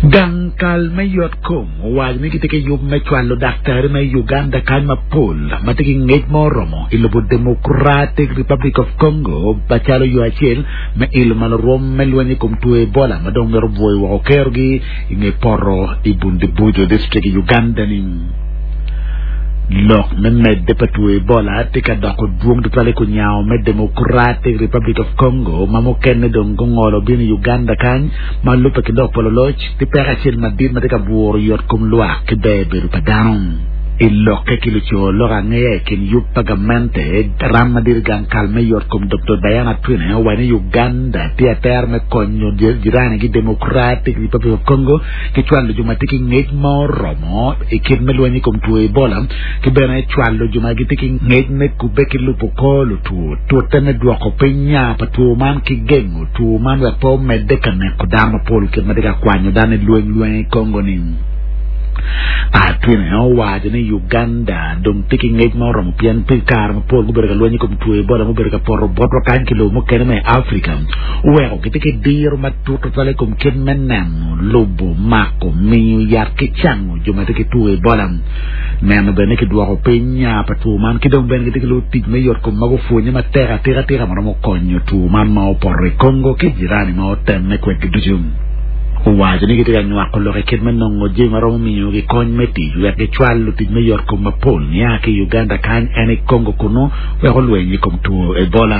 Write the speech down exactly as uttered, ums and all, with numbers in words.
Gang kal me yot kom owaco ni gitye ki yub me cwalo daktari me Uganda kany mapol ma tye ki ngec ma oromo i lobo Democratic Republic of Congo macalo yo acel me ilo malo rwom me lweny i kom two Ebola ma dong mito bwoyo woko kerogi i nge poto i Bundibugyo district i Uganda ni. Lok me medde pa two Ebola tye ka doko dwong tutwal i kunyango me Democratic Republic of Congo ma mukene dong gungolo bino i Uganda kany ma lubbe ki lok pa luloc tye peko acel madit ma tye ka bwuro yot kom lwak ki ber bedo pa dano. I lokke ki luco lok angeya i kin yub pa gamente ram madit i gang kal me yot kom Dr. Diana Atwine owaco ni Uganda tye atera me konyo jiranigi Democratic Republic of Congo ki cwalo jo ma tye ki ngec ma oromo i kit me lweny i kom two Ebola ki bene cwalo jo ma gitye ki ngec me kubbe ki lubo kor lutwo tute me dwoko piny nya pa two man ki gengo two man wek pe omedde ka neko dano mapol kit ma tye ka kwanyo dano i lweny lweny i Congo ni. Atwine owaco ni Uganda dong tye ki ngec ma oromo pien pi kare mapol gubedo ka lweny i kom two Ebola mubedo ka poto botwa kany ki lobo mukene me Afrika oweko gitye ki diro matut tutwal i kom kit me neno lubo mako miyo yat ki cango jo ma tye ki two Ebola neno bene kidwoko piny nya pa two man ki dong bene gitye ki lutic me yot kom ma gupwonye matek atika atika ma romo konyo two man ma opoto i Congo ki jirani ma otemme kwedgi ducu. Owaco ni gitye ka nywako lok i kit me nongo jami ma romo miyogi kony me tic wek gicwal lutic me yot kom mapol nia ki i Uganda kany en i Congo kunu wek olweny i kom two Ebola.